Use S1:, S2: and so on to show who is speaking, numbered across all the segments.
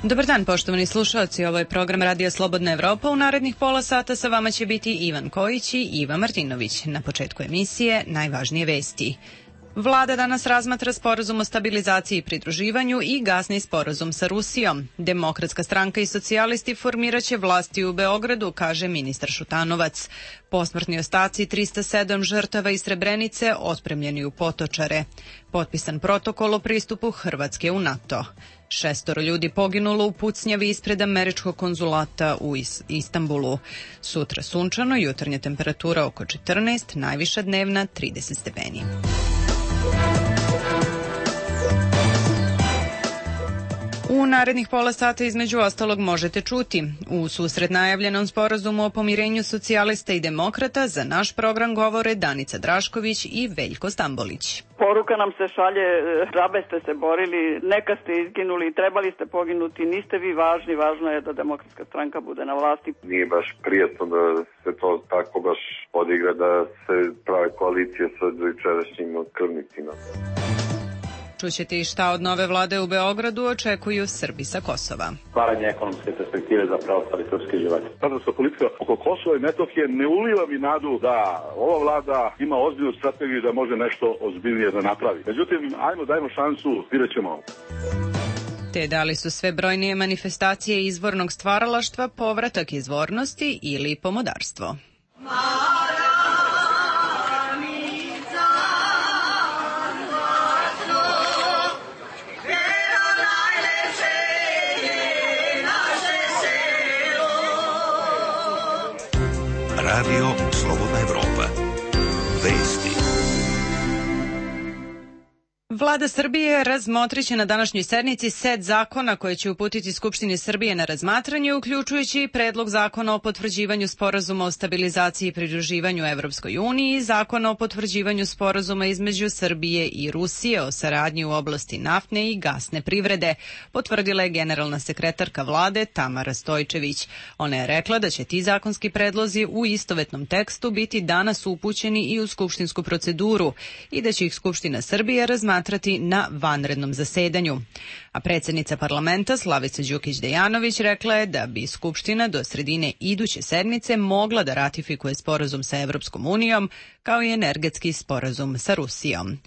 S1: Dobar dan, poštovani slušalci, ovo je program Radio Slobodna Evropa. U narednih pola sata sa vama će biti Ivan Kojić i Iva Martinović. Na početku emisije najvažnije vesti. Vlada danas razmatra sporazum o stabilizaciji i pridruživanju i gasni sporazum sa Rusijom. Demokratska stranka i socijalisti formiraće vlasti u Beogradu, kaže ministar Šutanovac. Posmrtni ostaci 307 žrtava iz Srebrenice otpremljeni u Potočare. Potpisan protokol o pristupu Hrvatske u NATO. 6 ljudi poginulo u pucnjavi ispred američkog konzulata u Istanbulu. Sutra sunčano, jutarnja temperatura oko 14, najviša dnevna 30 stepeni. U narednih pola sata između ostalog možete čuti: u susret najavljenom sporazumu o pomirenju socijalista i demokrata za naš program govore Danica Drašković i Veljko Stambolić.
S2: Poruka nam se šalje, džabe ste se borili, neka ste izginuli, trebali ste poginuti, niste vi važni, važno je da Demokratska stranka bude na vlasti.
S3: Nije baš prijatno da se to tako baš odigra, da se prave koalicije sa jučerašnjim krvnicima.
S1: Čućete i šta od nove vlade u Beogradu očekuju Srbi sa Kosova.
S4: Stvaranje ekonomske perspektive za preostali srpski život.
S5: Srpska politika oko Kosova i Metohije ne uliva mi nadu da ova vlada ima ozbiljnu strategiju da može nešto ozbiljnije da napravi. Međutim, dajmo šansu, vidjet ćemo.
S1: Te da li su sve brojnije manifestacije izvornog stvaralaštva povratak izvornosti ili pomodarstvo?
S6: Radio Slobodna Evropa. Vesti.
S1: Vlada Srbije razmotriće na današnjoj sednici set zakona koje će uputiti Skupštini Srbije na razmatranje, uključujući i predlog zakona o potvrđivanju sporazuma o stabilizaciji i pridruživanju Evropskoj uniji i zakona o potvrđivanju sporazuma između Srbije i Rusije o saradnji u oblasti naftne i gasne privrede, potvrdila je generalna sekretarka vlade Tamara Stojčević. Ona je rekla da će ti zakonski predlozi u istovetnom tekstu biti danas upućeni i u skupštinsku proceduru i da će ih Skupština Srbije razmatrati na vanrednom zasedanju. A predsjednica parlamenta Slavica Đukić-Dejanović rekla je da bi Skupština do sredine iduće sedmice mogla da ratifikuje sporazum sa Evropskom unijom kao i energetski sporazum sa Rusijom.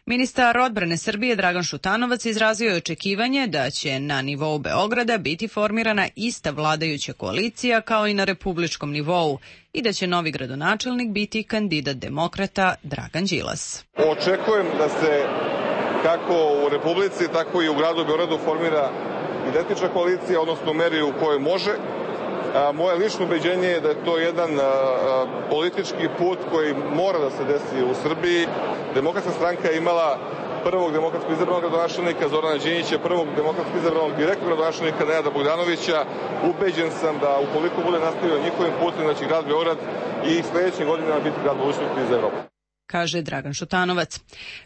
S1: Ministar odbrane Srbije Dragan Šutanovac izrazio je očekivanje da će na nivou Beograda biti formirana ista vladajuća koalicija kao i na republičkom nivou i da će novi gradonačelnik biti kandidat demokrata Dragan Đilas.
S7: Očekujem da se kako u Republici, tako i u gradu Beogradu formira identična koalicija, odnosno u meri u kojoj može. Moje lično ubeđenje je da je to jedan politički put koji mora da se desi u Srbiji. Demokratska stranka je imala prvog demokratsko izabranog gradonačelnika Zorana Đinđića, prvog demokratsko izabranog direktnog gradonačelnika Nenada Bogdanovića. Ubeđen sam da ukoliko bude nastavio njihovim putem, da će grad Beograd i sledećih godina biti grad budućnosti za Evropu,
S1: kaže Dragan Šutanovac.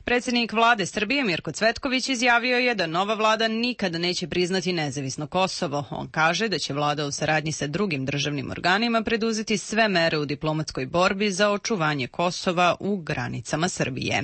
S1: Predsjednik vlade Srbije Mirko Cvetković izjavio je da nova vlada nikada neće priznati nezavisno Kosovo. On kaže da će vlada u saradnji sa drugim državnim organima preduzeti sve mere u diplomatskoj borbi za očuvanje Kosova u granicama Srbije.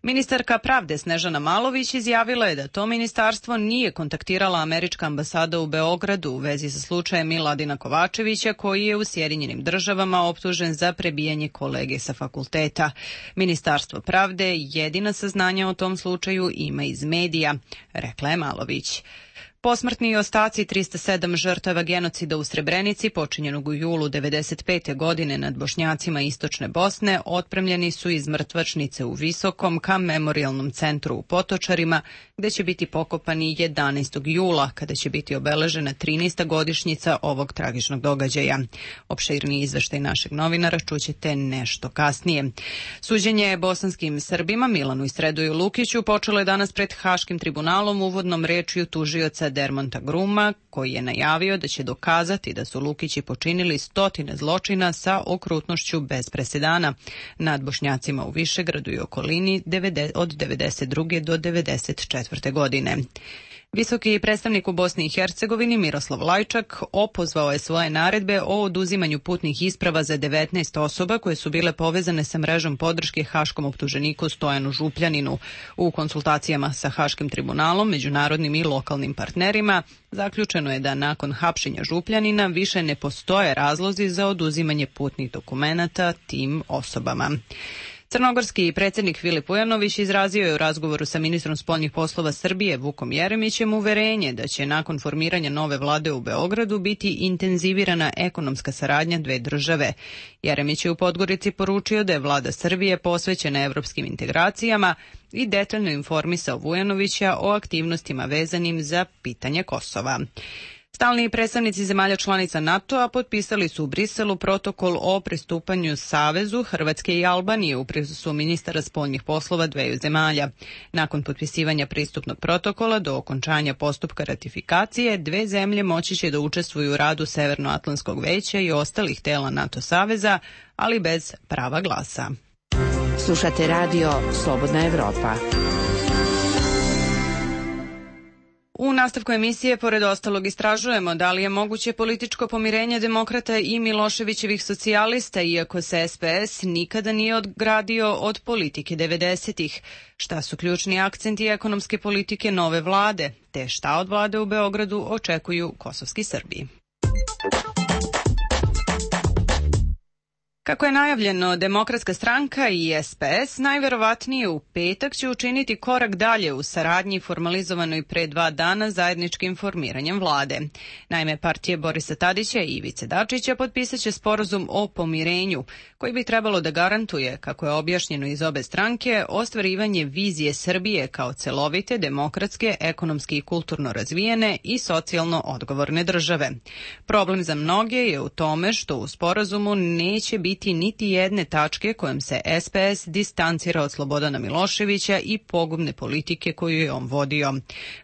S1: Ministarka pravde Snežana Malović izjavila je da to ministarstvo nije kontaktirala američka ambasada u Beogradu u vezi sa slučajem Miladina Kovačevića, koji je u Sjedinjenim Državama optužen za prebijanje kolege sa fakulteta. Ministarstvo pravde jedina saznanja o tom slučaju ima iz medija, rekla je Malović. Posmrtni ostaci 307 žrtava genocida u Srebrenici, počinjenog u julu 1995. godine nad Bošnjacima istočne Bosne, otpremljeni su iz mrtvačnice u Visokom ka memorijalnom centru u Potočarima, gde će biti pokopani 11. jula, kada će biti obeležena 13. godišnjica ovog tragičnog događaja. Opširni izveštaj našeg novinara čućete nešto kasnije. Suđenje bosanskim Srbima Milanu Istredoju Lukiću počelo je danas pred Haškim tribunalom uvodnom rečju tužioca Dermonta Gruma, koji je najavio da će dokazati da su Lukići počinili stotine zločina sa okrutnošću bez presedana nad Bošnjacima u Višegradu i okolini od 1992. do 1994. godine. Visoki predstavnik u Bosni i Hercegovini Miroslav Lajčak opozvao je svoje naredbe o oduzimanju putnih isprava za 19 osoba koje su bile povezane sa mrežom podrške haškom optuženiku Stojanu Župljaninu. U konsultacijama sa Haškim tribunalom, međunarodnim i lokalnim partnerima, zaključeno je da nakon hapšenja Župljanina više ne postoje razlozi za oduzimanje putnih dokumenata tim osobama. Crnogorski predsjednik Filip Ujanović izrazio je u razgovoru sa ministrom spoljnih poslova Srbije Vukom Jeremićem uverenje da će nakon formiranja nove vlade u Beogradu biti intenzivirana ekonomska saradnja dve države. Jeremić je u Podgorici poručio da je vlada Srbije posvećena evropskim integracijama i detaljno informisao Vujanovića o aktivnostima vezanim za pitanje Kosova. Stalni predstavnici zemalja članica NATO-a potpisali su u Briselu protokol o pristupanju Savezu Hrvatske i Albanije u prisustvu ministara spoljnih poslova dveju zemalja. Nakon potpisivanja pristupnog protokola do okončanja postupka ratifikacije, dve zemlje moći će da učestvuju u radu Severnoatlantskog veća i ostalih tela NATO saveza, ali bez prava glasa.
S8: Slušate radio Slobodna Evropa.
S1: U nastavku emisije, pored ostalog, istražujemo da li je moguće političko pomirenje demokrata i Miloševićevih socijalista, iako se SPS nikada nije odgradio od politike 90-ih. Šta su ključni akcenti ekonomske politike nove vlade, te šta od vlade u Beogradu očekuju kosovski Srbi. Kako je najavljeno, Demokratska stranka i SPS najverovatnije u petak će učiniti korak dalje u saradnji formalizovanoj pre 2 dana zajedničkim formiranjem vlade. Naime, partije Borisa Tadića i Ivice Dačića potpisat će sporazum o pomirenju, koji bi trebalo da garantuje, kako je objašnjeno iz obe stranke, ostvarivanje vizije Srbije kao celovite, demokratske, ekonomski i kulturno razvijene i socijalno odgovorne države. Problem za mnoge je u tome što u sporazumu neće biti niti jedne tačke kojom se SPS distancira od Slobodana Miloševića i pogubne politike koju je on vodio.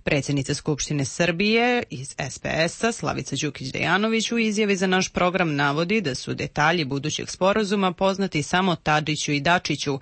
S1: Predsjednica Skupštine Srbije iz SPS-a Slavica Đukić-Dejanović u izjavi za naš program navodi da su detalji budućeg sporazuma poznati samo Tadiću i Dačiću,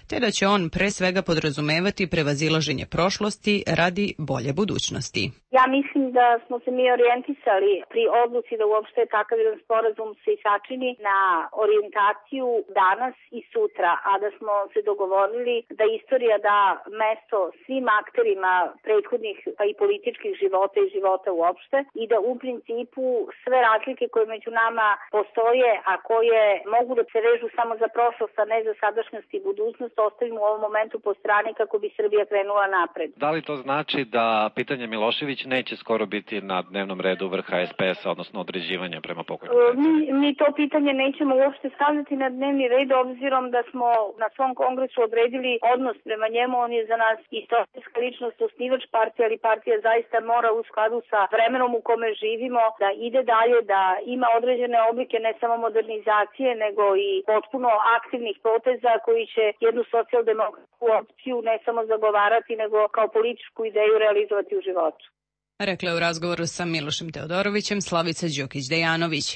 S1: te da će on pre svega podrazumevati prevazilaženje prošlosti radi bolje budućnosti.
S9: Ja mislim da smo se mi orijentisali pri odluci da uopšte takav jedan sporazum se sačini na orijentaciju danas i sutra, a da smo se dogovorili da istorija da mesto svim akterima prethodnih pa i političkih života i života uopšte i da u principu sve razlike koje među nama postoje, a koje mogu da se vežu samo za prošlost, a ne za sadašnjost i budućnost, ostavimo u ovom momentu po strani kako bi Srbija krenula napred.
S10: Da li to znači da pitanje Milošević neće skoro biti na dnevnom redu vrha SPS-a, odnosno određivanja prema pokojnom predsjedniku?
S9: Mi to pitanje nećemo uopšte stavljati na dnevni red, obzirom da smo na svom kongresu odredili odnos prema njemu. On je za nas istorijska ličnost, osnivač partije, ali partija zaista mora u skladu sa vremenom u kome živimo da ide dalje, da ima određene oblike ne samo modernizacije, nego i potpuno aktivnih poteza koji će jednu socijaldemokratsku opciju ne samo zagovarati, nego kao političku ideju realizovati u životu.
S1: Rekla je u razgovoru sa Milošem Teodorovićem Slavica Đukić-Dejanović.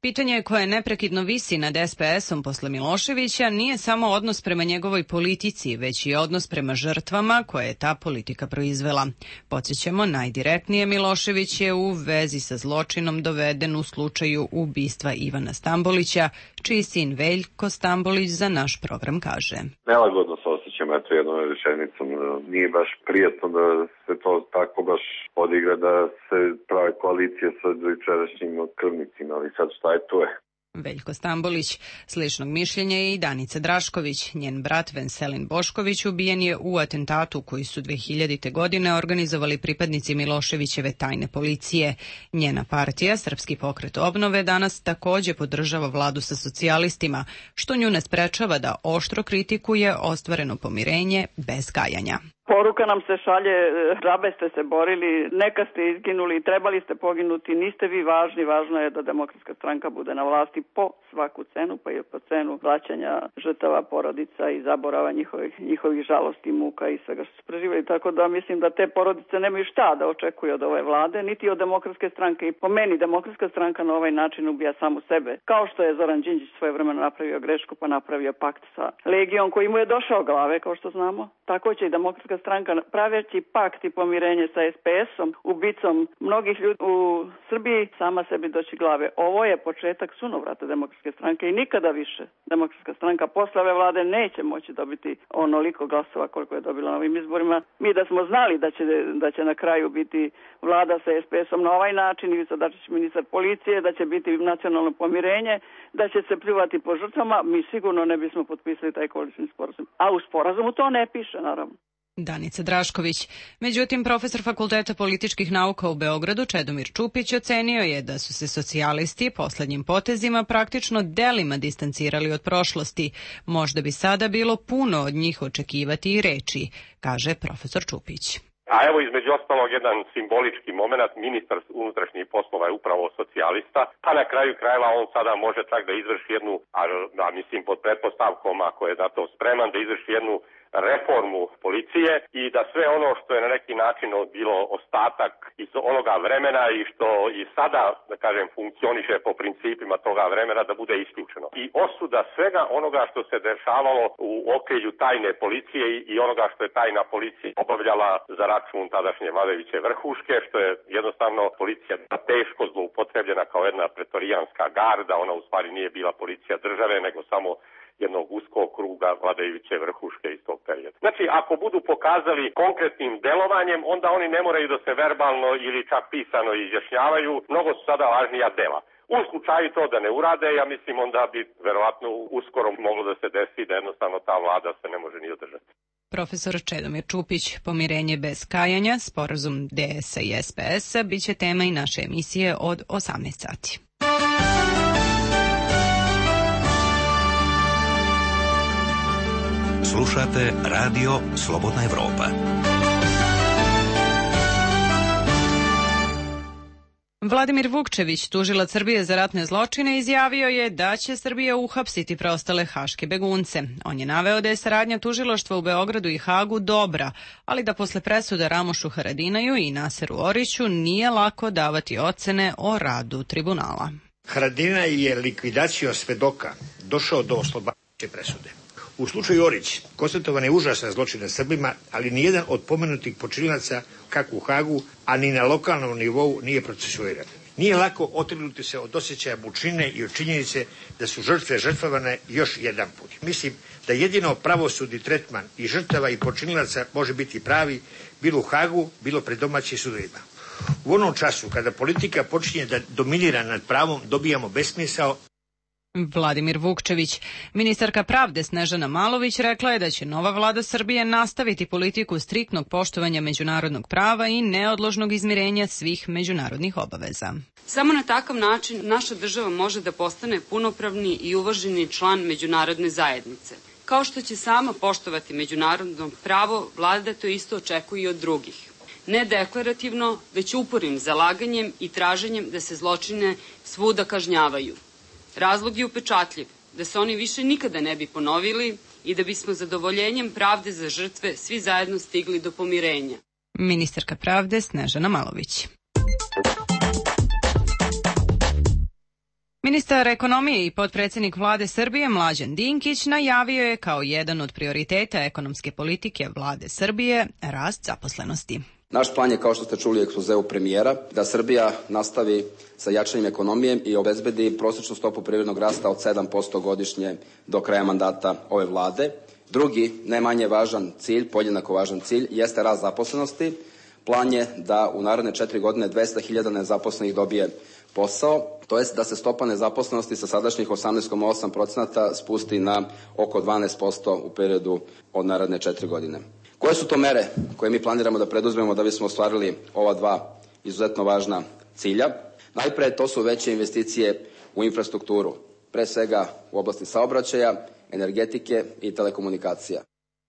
S1: Pitanje koje neprekidno visi nad SPS-om posle Miloševića nije samo odnos prema njegovoj politici, već i odnos prema žrtvama koje je ta politika proizvela. Podsjećamo, najdirektnije Milošević je u vezi sa zločinom doveden u slučaju ubistva Ivana Stambolića, čiji sin Veljko Stambolić za naš program kaže.
S3: Nelagodno se osjećam jednom rečenicom. Nije baš prijatno da se to tako baš odigra, da se prave koalicije sa jučerašnjim krvnicima, ali sad šta je to je.
S1: Veljko Stambolić. Sličnog mišljenja je i Danica Drašković. Njen brat Venselin Bošković ubijen je u atentatu koji su 2000. godine organizovali pripadnici Miloševićeve tajne policije. Njena partija, Srpski pokret obnove, danas takođe podržava vladu sa socijalistima, što nju ne sprečava da oštro kritikuje ostvareno pomirenje bez kajanja.
S2: Poruka nam se šalje, džabe ste se borili, neka ste izginuli, trebali ste poginuti, niste vi važni, važno je da Demokratska stranka bude na vlasti po svaku cenu, pa i po cenu vraćanja žrtava porodica i zaborava njihovih žalosti, muka i svega što su preživali. Tako da mislim da te porodice nemaju šta da očekuju od ove vlade, niti od Demokratske stranke. I po meni Demokratska stranka na ovaj način ubija samu sebe. Kao što je Zoran Đinđić svojevremeno napravio grešku pa napravio pakt sa Legijom koji mu je došao glave, kao što znamo. tako će i Demokratska stranka praveći pakt i pomirenje sa SPS-om, ubicom mnogih ljudi u Srbiji, sama sebi doći glave. Ovo je početak sunovrata Demokratske stranke i nikada više Demokratska stranka posle ove vlade neće moći dobiti onoliko glasova koliko je dobila na ovim izborima. Mi da smo znali da će na kraju biti vlada sa SPS-om na ovaj način, Ivica Dačić ministar policije, da će biti nacionalno pomirenje, da će se pljuvati po žrtvama, mi sigurno ne bismo potpisali taj koalicijni sporazum. A u sporazumu to ne piše, naravno.
S1: Danica Drašković. Međutim, profesor Fakulteta političkih nauka u Beogradu Čedomir Čupić ocenio je da su se socijalisti poslednjim potezima praktično delima distancirali od prošlosti. Možda bi sada bilo puno od njih očekivati i reči, kaže profesor Čupić.
S11: A evo između ostalog jedan simbolički moment, ministar unutrašnjih poslova je upravo socijalista, a na kraju krajeva on sada može čak da izvrši jednu, mislim pod pretpostavkom ako je na to spreman, da izvrši jednu reformu policije i da sve ono što je na neki način bilo ostatak iz onoga vremena i što i sada, da kažem, funkcioniše po principima toga vremena da bude isključeno. I osuda svega onoga što se dešavalo u okrilju tajne policije i onoga što je tajna policija obavljala za račun tadašnje vladajuće vrhuške, što je jednostavno policija teško zloupotrebljena kao jedna pretorijanska garda, ona u stvari nije bila policija države, nego samo jednog uskog kruga vladajuće vrhuške iz tog perioda. Znači, ako budu pokazali konkretnim delovanjem, onda oni ne moraju da se verbalno ili čak pisano izjašnjavaju, mnogo su sada važnija dela. U slučaju to da ne urade, ja mislim onda bi verovatno uskoro moglo da se desi da jednostavno ta vlada se ne može ni održati.
S1: Profesor Čedomir Čupić, pomirenje bez kajanja, sporazum DS-a i SPS-a, bit će tema i naše emisije od 18 sati.
S6: Slušate Radio Slobodna Evropa.
S1: Vladimir Vukčević, tužilac Srbije za ratne zločine, izjavio je da će Srbija uhapsiti preostale haške begunce. On je naveo da je saradnja tužilaštva u Beogradu i Hagu dobra, ali da posle presuda Ramošu Haradinaju i Naseru Oriću nije lako davati ocene o radu tribunala.
S12: Haradinaj je likvidacijom svedoka došao do oslobađajuće presude. U slučaju Orić konstatovan je užasan zločin nad Srbima, ali nijedan od pomenutih počinilaca, kako u Hagu, a ni na lokalnom nivou nije procesuiran. Nije lako otrgnuti se od osjećaja mučine i od činjenice da su žrtve žrtvovane još jedan put. Mislim da jedino pravosudni tretman i žrtava i počinilaca može biti pravi, bilo u Hagu, bilo pred domaćim sudovima. U onom času kada politika počinje da dominira nad pravom, dobijamo besmisao.
S1: Vladimir Vukčević. Ministarka pravde Snežana Malović rekla je da će nova vlada Srbije nastaviti politiku striktnog poštovanja međunarodnog prava i neodložnog izmirenja svih međunarodnih obaveza.
S13: Samo na takav način naša država može da postane punopravni i uvaženi član međunarodne zajednice. Kao što će sama poštovati međunarodno pravo, vlada to isto očekuje i od drugih. Ne deklarativno, već upornim zalaganjem i traženjem da se zločine svuda kažnjavaju. Razlog je upečatljiv, da se oni više nikada ne bi ponovili i da bismo zadovoljenjem pravde za žrtve svi zajedno stigli do pomirenja.
S1: Ministarka pravde Snežana Malović. Ministar ekonomije i potpredsjednik vlade Srbije Mlađan Dinkić najavio je kao jedan od prioriteta ekonomske politike vlade Srbije rast zaposlenosti.
S14: Naš plan je, kao što ste čuli u ekspozeu premijera, da Srbija nastavi sa jačanjem ekonomije i obezbedi prosječnu stopu privrednog rasta od 7% godišnje do kraja mandata ove vlade. Drugi, ne manje važan cilj, podjednako važan cilj, jeste rast zaposlenosti. Plan je da u naredne 4 godine 200.000 nezaposlenih dobije posao, to jest da se stopa nezaposlenosti sa sadašnjih 18,8% spusti na oko 12% u periodu od naredne 4 godine. Koje su to mere koje mi planiramo da preduzmemo da bismo ostvarili ova dva izuzetno važna cilja? Najpre, to su veće investicije u infrastrukturu, pre svega u oblasti saobraćaja, energetike i telekomunikacija.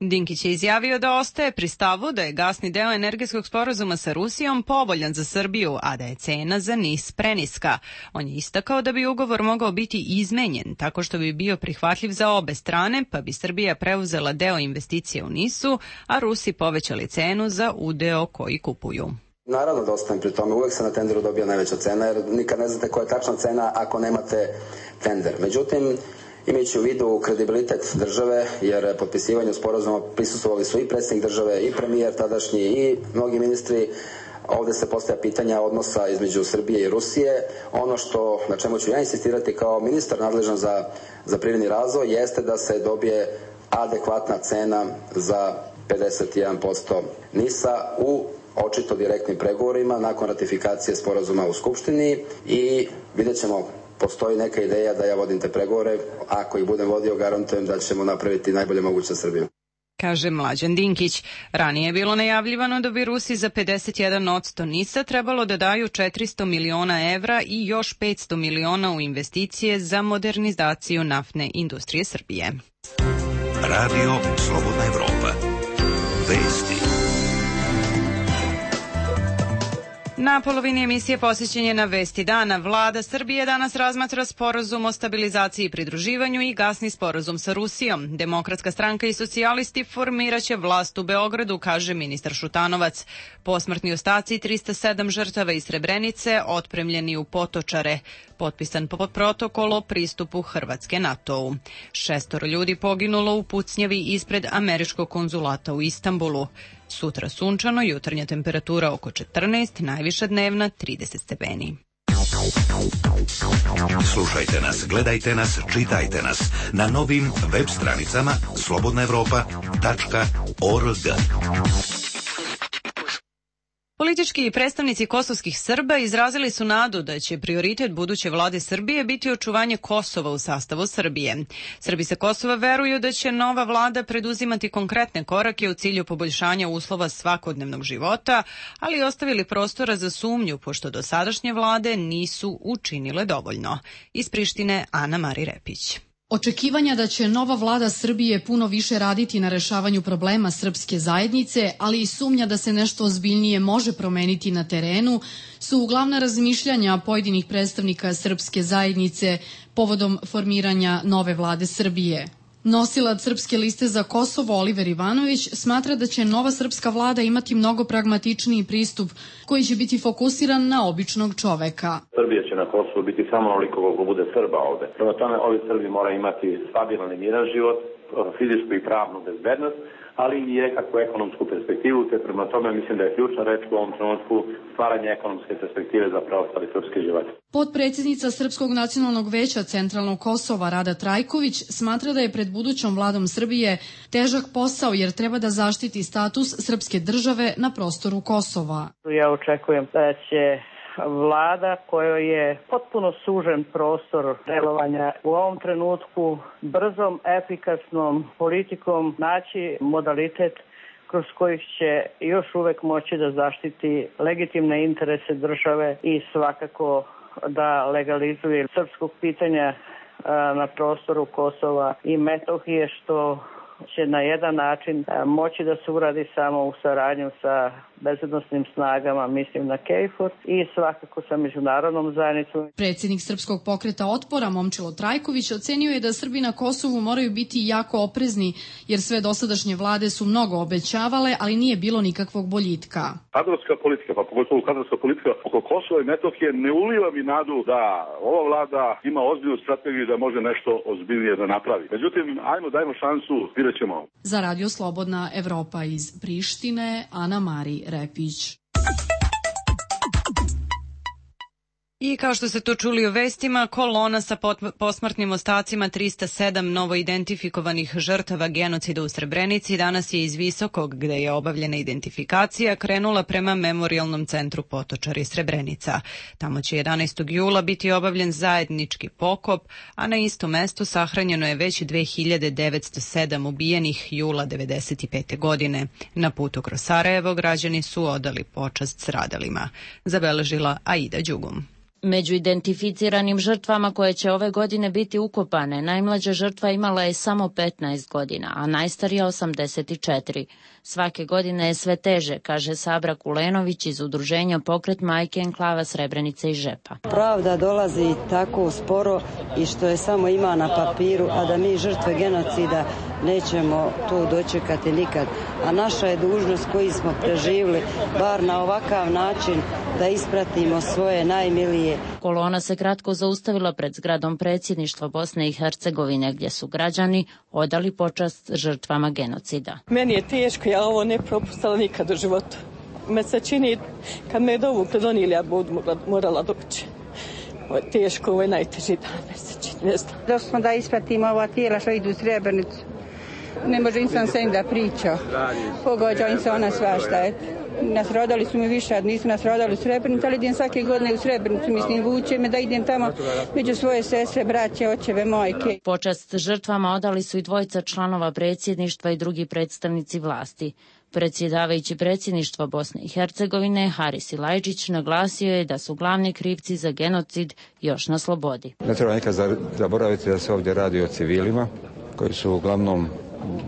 S1: Dinkić je izjavio da ostaje pri stavu da je gasni deo energetskog sporazuma sa Rusijom povoljan za Srbiju, a da je cena za NIS preniska. On je istakao da bi ugovor mogao biti izmenjen tako što bi bio prihvatljiv za obe strane, pa bi Srbija preuzela deo investicije u NIS-u, a Rusi povećali cenu za udeo koji kupuju.
S14: Naravno da ostajem pri tome, uvek se na tenderu dobija najveća cena, jer nikad ne znate koja je tačna cena ako nemate tender. Međutim, Imajući u vidu kredibilitet države, jer potpisivanju sporazuma prisustvovali su i predsjednik države i premijer tadašnji i mnogi ministri, ovde se postavlja pitanja odnosa između Srbije i Rusije. Ono na čemu ću ja insistirati kao ministar nadležan za privredni razvoj jeste da se dobije adekvatna cena za 51% NIS-a u očito direktnim pregovorima nakon ratifikacije sporazuma u Skupštini i vidjet ćemo, postoji neka ideja da ja vodim te pregovore. Ako ih budem vodio, garantujem da ćemo napraviti najbolje moguće za Srbiju.
S1: Kaže Mlađan Dinkić. Ranije je bilo najavljivano da bi Rusi za 51% NIS-a trebalo da daju 400 miliona evra i još 500 miliona u investicije za modernizaciju naftne industrije Srbije.
S6: Radio Slobodna Evropa. Vesti.
S1: Na polovini emisije posjećenje na Vesti dana. Vlada Srbije danas razmatra sporazum o stabilizaciji i pridruživanju i gasni sporazum sa Rusijom. Demokratska stranka i socijalisti formiraće vlast u Beogradu, kaže ministar Šutanovac. Posmrtni ostaci 307 žrtava iz Srebrenice otpremljeni u Potočare. Potpisan protokol o pristupu Hrvatske NATO-u. 6 ljudi poginulo u pucnjavi ispred američkog konzulata u Istanbulu. Sutra sunčano, jutarnja temperatura oko 14, najviša dnevna 30 stepeni.
S6: Slušajte nas, gledajte nas, čitajte nas na novim web stranicama slobodnaevropa.org.
S1: Politički predstavnici kosovskih Srba izrazili su nadu da će prioritet buduće vlade Srbije biti očuvanje Kosova u sastavu Srbije. Srbi sa Kosova veruju da će nova vlada preduzimati konkretne korake u cilju poboljšanja uslova svakodnevnog života, ali ostavili prostora za sumnju pošto dosadašnje vlade nisu učinile dovoljno. Iz Prištine Ana Mari Repić.
S15: Očekivanja da će nova vlada Srbije puno više raditi na rešavanju problema srpske zajednice, ali i sumnja da se nešto ozbiljnije može promeniti na terenu, su glavna razmišljanja pojedinih predstavnika srpske zajednice povodom formiranja nove vlade Srbije. Nosilac Srpske liste za Kosovo Oliver Ivanović smatra da će nova srpska vlada imati mnogo pragmatičniji pristup koji će biti fokusiran na običnog čoveka.
S4: Srbija će na Kosovu biti samo onoliko koliko bude Srba ovde. Prema tome, ovi Srbi moraju imati stabilan i miran život, fizičku i pravnu bezbednost, ali i nekakvu ekonomsku perspektivu, te prema tome mislim da je ključna reč u ovom trenutku stvaranje ekonomske perspektive za preostali srpski život.
S15: Potpredsjednica Srpskog nacionalnog veća Centralnog Kosova Rada Trajković smatra da je pred budućom vladom Srbije težak posao jer treba da zaštiti status srpske države na prostoru Kosova.
S16: Ja očekujem da će vlada kojoj je potpuno sužen prostor delovanja u ovom trenutku brzom, efikasnom politikom naći modalitet kroz kojih će još uvek moći da zaštiti legitimne interese države i svakako da legalizuje srpskog pitanja na prostoru Kosova i Metohije, što će na jedan način moći da se uradi samo u saradnju sa bezbednosnim snagama, mislim na KFOR i svakako sa međunarodnom zajednicom.
S15: Predsjednik Srpskog pokreta otpora Momčilo Trajković ocenio je da Srbi na Kosovu moraju biti jako oprezni jer sve dosadašnje vlade su mnogo obećavale, ali nije bilo nikakvog boljitka.
S5: Kadrovska politika, pa pogotovo kadrovska politika oko Kosova i Metohije ne uliva mi nadu da ova vlada ima ozbiljnu strategiju da može nešto ozbiljnije da napravi. Međutim, dajmo šansu, vidjet ćemo.
S15: Za Radio Slobodna Evropa iz Prištine, Ana Mari Repić.
S1: I kao što ste to čuli u vestima, kolona sa posmrtnim ostacima 307 novoidentifikovanih žrtava genocida u Srebrenici danas je iz Visokog, gde je obavljena identifikacija, krenula prema Memorijalnom centru Potočar i Srebrenica. Tamo će 11. jula biti obavljen zajednički pokop, a na istom mestu sahranjeno je već 2907 ubijenih jula 1995. godine. Na putu kroz Sarajevo građani su odali počast stradalima. Zabeležila Aida Đugum.
S17: Među identificiranim žrtvama koje će ove godine biti ukopane, najmlađa žrtva imala je samo 15 godina, a najstarija 84. Svake godine je sve teže, kaže Sabra Kulenović iz udruženja Pokret majke enklava Srebrenice i Žepa.
S18: Pravda dolazi tako sporo i što je samo ima na papiru, a da mi žrtve genocida nećemo to dočekati nikad. A naša je dužnost koji smo preživjeli, bar na ovakav način, da ispratimo svoje najmilije.
S17: Kolona se kratko zaustavila pred zgradom predsjedništva Bosne i Hercegovine, gdje su građani odali počast žrtvama genocida.
S19: Meni je teško, ja ovo ne propustila nikad u životu. Me se čini, kad me je dovukli donijeli, ja budu morala doći. Ovo je teško, ovo je najteži dan, me se čini, ne znam.
S20: Došli smo da ispratimo ova tijela što idu u Srebrenicu. Ne može insan se im da priča. Pogođa im se ona svašta. Nasrodali su mi više, nisu nasrodali u Srebrenicu, ali idem svake godine u Srebrenicu, mislim, vuče me da idem tamo među svoje sestre, braće, očeve, majke.
S17: Počast žrtvama odali su i dvojica članova predsjedništva i drugi predstavnici vlasti. Predsjedavajući predsjedništva Bosne i Hercegovine, Haris Silajdžić, naglasio je da su glavni krivci za genocid još na slobodi.
S21: Ne treba nekad zaboraviti da se ovdje radi o civilima koji su uglavnom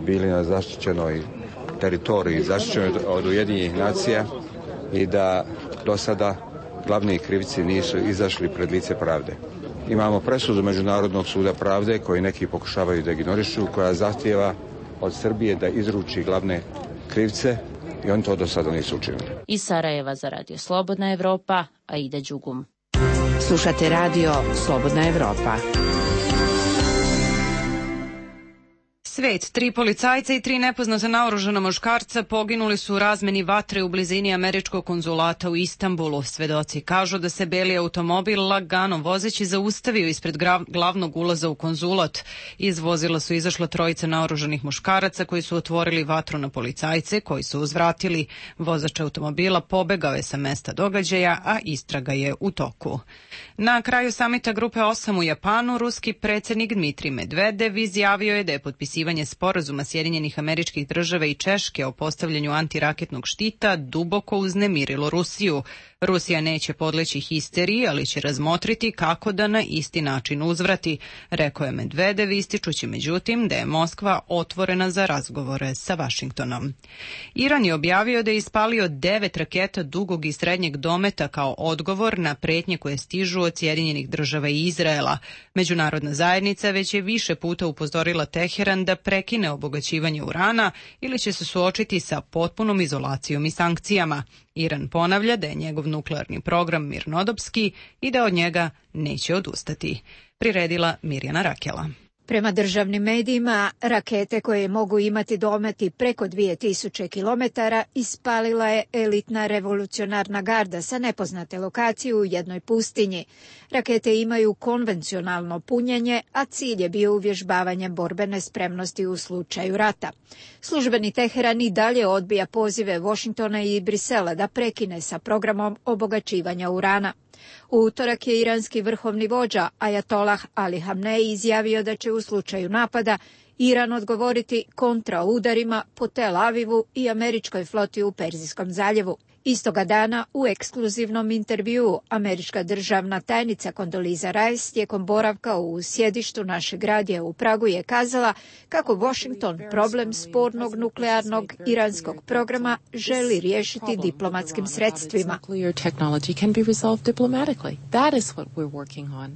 S21: bili na zaštićenoj teritoriji, zaštićenoj od Ujedinjenih nacija i da do sada glavni krivci nisu izašli pred lice pravde. Imamo presudu Međunarodnog suda pravde koji neki pokušavaju da ignorišu, koja zahtijeva od Srbije da izruči glavne krivce i oni to do sada nisu učinili.
S17: Iz Sarajeva za Radio Slobodna Evropa, Aida Đugum.
S8: Slušate Radio Slobodna Evropa.
S1: Svet, 3 policajca i 3 nepoznata naoružana muškarca poginuli su u razmeni vatre u blizini američkog konzulata u Istanbulu. Svedoci kažu da se beli automobil lagano vozeći zaustavio ispred glavnog ulaza u konzulat. Iz vozila su izašla 3 naoružanih muškaraca koji su otvorili vatru na policajce koji su uzvratili. Vozač automobila pobegao je sa mesta događaja, a istraga je u toku. Na kraju samita Grupe 8 u Japanu, ruski predsjednik Dmitrij Medvedev izjavio je da je potpisivanje sporazuma Sjedinjenih Američkih Država i Češke o postavljanju antiraketnog štita duboko uznemirilo Rusiju. Rusija neće podleći histeriji, ali će razmotriti kako da na isti način uzvrati, rekao je Medvedev, ističući međutim da je Moskva otvorena za razgovore sa Vašingtonom. Iran je objavio da je ispalio 9 raketa dugog i srednjeg dometa kao odgovor na pretnje koje stižu od Sjedinjenih Država i Izraela. Međunarodna zajednica već je više puta upozorila Teheran da prekine obogaćivanje urana ili će se suočiti sa potpunom izolacijom i sankcijama. Iran ponavlja da je njegov nuklearni program mirnodopski i da od njega neće odustati. Priredila Mirjana Rakela.
S22: Prema državnim medijima, rakete koje mogu imati dometi preko 2000 km ispalila je elitna revolucionarna garda sa nepoznate lokacije u jednoj pustinji. Rakete imaju konvencionalno punjenje, a cilj je bio uvježbavanje borbene spremnosti u slučaju rata. Službeni Teheran i dalje odbija pozive Washingtona i Brisela da prekine sa programom obogaćivanja urana. U utorak je iranski vrhovni vođa Ajatolah Ali Hamnej izjavio da će u slučaju napada Iran odgovoriti kontraudarima po Tel Avivu i američkoj floti u Perzijskom zaljevu. Istoga dana u ekskluzivnom intervjuu američka državna tajnica Condoleezza Rice tijekom boravka u sjedištu našeg radija u Pragu je kazala kako Washington problem spornog nuklearnog iranskog programa želi riješiti diplomatskim sredstvima.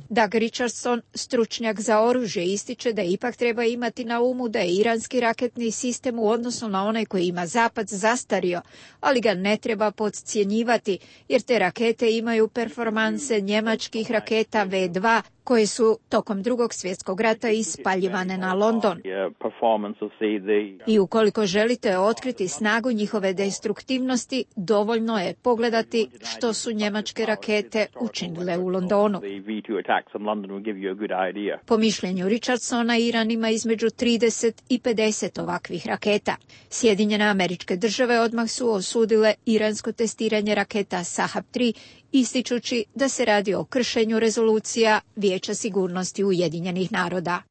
S22: Doug Richardson, stručnjak za oružje, ističe da ipak treba imati na umu da je iranski raketni sistem u odnosu na onaj koji ima Zapad zastario, ali ga ne treba podcjenjivati, jer te rakete imaju performanse njemačkih raketa V2 koje su tokom Drugog svjetskog rata ispaljivane na London. I ukoliko želite otkriti snagu njihove destruktivnosti, dovoljno je pogledati što su njemačke rakete učinile u Londonu. Po mišljenju Richardsona, Iran ima između 30 i 50 ovakvih raketa. Sjedinjene Američke Države odmah su osudile iransko testiranje raketa Sahab-3, ističući da se radi o kršenju rezolucija Vijeća sigurnosti Ujedinjenih naroda.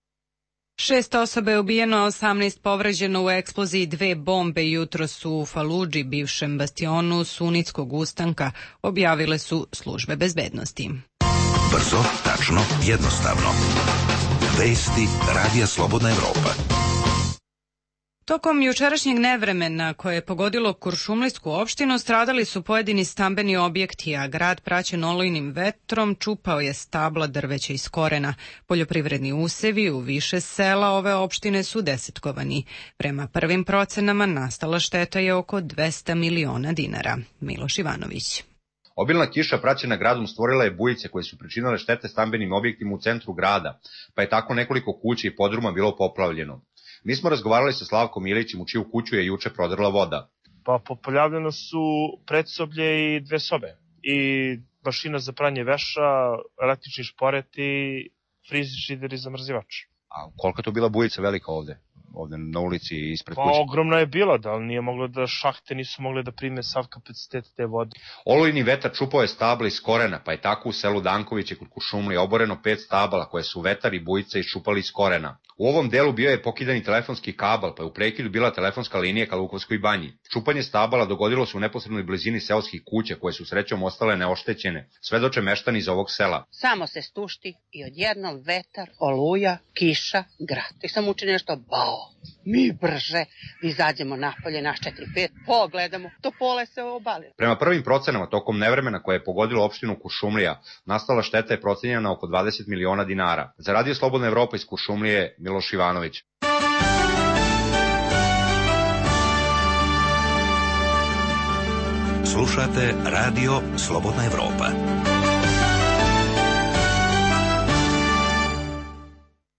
S1: 6 osoba je ubijeno, 18 povređeno u eksploziji 2 bombe jutros u Faludži, bivšem bastionu sunitskog ustanka, objavile su službe bezbednosti.
S6: Brzo, tačno, jednostavno. Vesti Radija Slobodna Evropa.
S1: Tokom jučerašnjeg nevremena koje je pogodilo Kuršumlijsku opštinu stradali su pojedini stambeni objekti, a grad praćen olujnim vetrom čupao je stabla drveća iz korena. Poljoprivredni usevi u više sela ove opštine su desetkovani. Prema prvim procenama nastala šteta je oko 200 miliona dinara. Miloš Ivanović.
S7: Obilna kiša praćena gradom stvorila je bujice koje su pričinile štete stambenim objektima u centru grada, pa je tako nekoliko kuća i podruma bilo poplavljeno. Mi smo razgovarali sa Slavkom Ilićem u čiju kuću je juče prodrla voda.
S10: Pa poplavljeno su predsoblje i 2 sobe. I mašina za pranje veša, električni šporet i frižider i zamrzivač.
S7: A kolika je to bila bujica velika ovde na ulici ispred kuće?
S10: Pa ogromna je bila, da, ali nije moglo da šahte nisu mogle da prime sav kapacitet te vode.
S7: Olujni vetar čupao je stabla iz korena, pa je tako u selu Dankoviće kod Kuršumlije oboreno 5 stabala koje su vetar i bujica iščupali iz korena. U ovom delu bio je pokidani telefonski kabal, pa je u prekidu bila telefonska linija ka Lukovskoj banji. Čupanje stabala dogodilo se u neposrednoj blizini seoskih kuća koje su srećom ostale neoštećene, svedoče meštani iz ovog sela.
S23: Samo se stušti i odjednom vetar, oluja, kiša, grad. I sam učini nešto bao. Mi brže izađemo napolje, naš 4-5, pogledamo, topole se obalilo.
S7: Prema prvim procenama, tokom nevremena koje je pogodilo opštinu Kuršumlija, nastala šteta je procenjena na oko 20 miliona dinara. Za Radio Slobodna Evropa iz Kuršumlije, Miloš Ivanović.
S6: Slušate Radio Slobodna Evropa.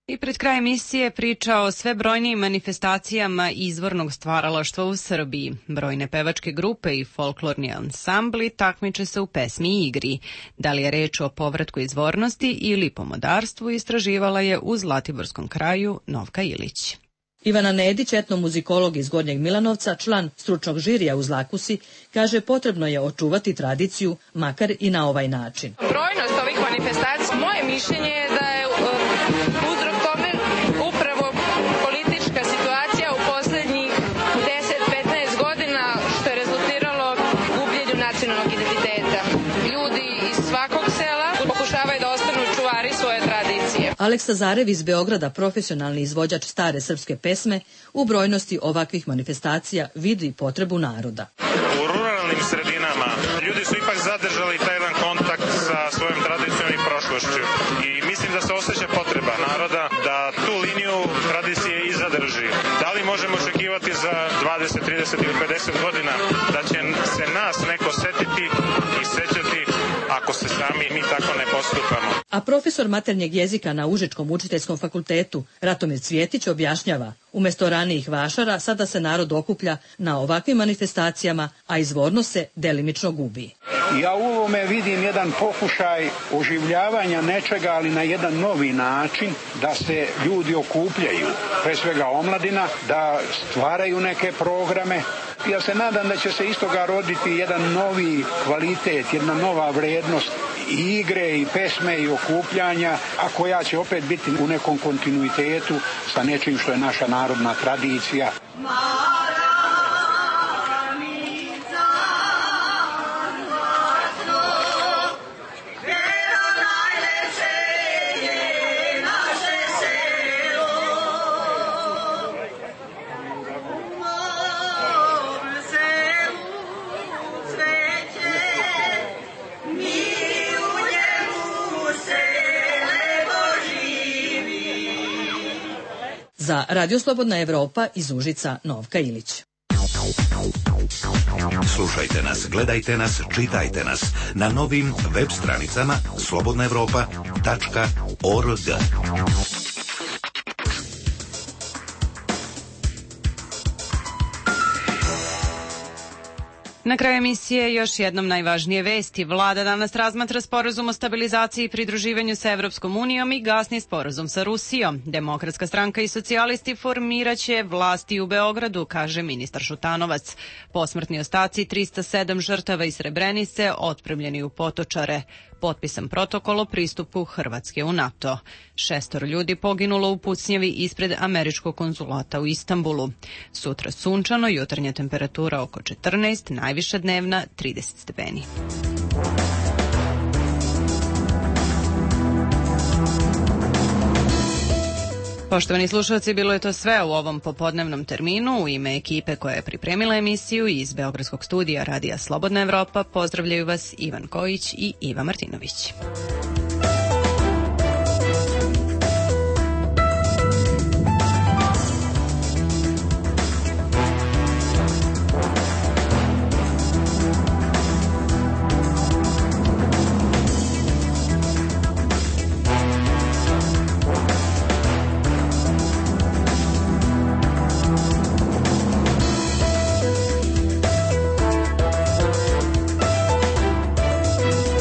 S1: I pred kraj emisije priča o sve brojnijim manifestacijama izvornog stvaralaštva u Srbiji. Brojne pevačke grupe i folklorni ansambli takmiče se u pesmi i igri. Da li je reč o povratku izvornosti ili pomodarstvu, istraživala je u Zlatiborskom kraju Novka Ilić.
S24: Ivana Nedić, etnomuzikolog iz Gornjeg Milanovca, član stručnog žirija u Zlakusi, kaže potrebno je očuvati tradiciju, makar i na ovaj način.
S25: Brojnost ovih manifestacija, moje mišljenje je da je uzrok tome upravo politička situacija u poslednjih 10-15 godina, što je rezultiralo gubljenju nacionalnog identiteta. Ljudi iz svakog sela pokušavaju da ostanu čuvari svoje tradicije.
S24: Aleksa Zarev iz Beograda, profesionalni izvođač stare srpske pesme, u brojnosti ovakvih manifestacija vidi potrebu naroda.
S26: U ruralnim sredinama ljudi su ipak zadržali taj jedan kontakt sa svojom tradicijom i prošlošću i mislim da se osjeća potreba naroda da tu liniju tradicije i zadrži. Da li možemo očekivati za 20, 30 ili 50 godina da će se nas neko setiti i sećati ako se sami mi tako ne postupamo?
S24: A profesor maternjeg jezika na Užičkom učiteljskom fakultetu Ratomir Cvjetić objašnjava, umjesto ranijih vašara sada se narod okuplja na ovakvim manifestacijama, a izvornost se delimično gubi.
S27: Ja u ovome vidim jedan pokušaj oživljavanja nečega, ali na jedan novi način, da se ljudi okupljaju, pre svega omladina, da stvaraju neke programe. Ja se nadam da će se iz toga roditi jedan novi kvalitet, jedna nova vrednost i igre i pesme i okupljanja, a koja će opet biti u nekom kontinuitetu sa nečim što je naša narodna tradicija.
S24: Za Radio Slobodna Evropa iz Užica Novka Ilić.
S6: Slušajte nas, gledajte nas, čitajte nas na novim web stranicama slobodnaevropa.org.
S1: Na kraju emisije još jednom najvažnije vesti. Vlada danas razmatra sporazum o stabilizaciji i pridruživanju sa Evropskom unijom i gasni sporazum sa Rusijom. Demokratska stranka i socijalisti formiraće vlasti u Beogradu, kaže ministar Šutanovac. Posmrtni ostaci 307 žrtava iz Srebrenice otpremljeni u Potočare. Potpisan protokol o pristupu Hrvatske u NATO. 6 ljudi poginulo u pucnjavi ispred američkog konzulata u Istanbulu. Sutra sunčano, jutarnja temperatura oko 14, najviša dnevna 30 stepeni. Poštovani slušalci, bilo je to sve u ovom popodnevnom terminu. U ime ekipe koja je pripremila emisiju iz Beogradskog studija Radija Slobodna Evropa pozdravljaju vas Ivan Kojić i Iva Martinović.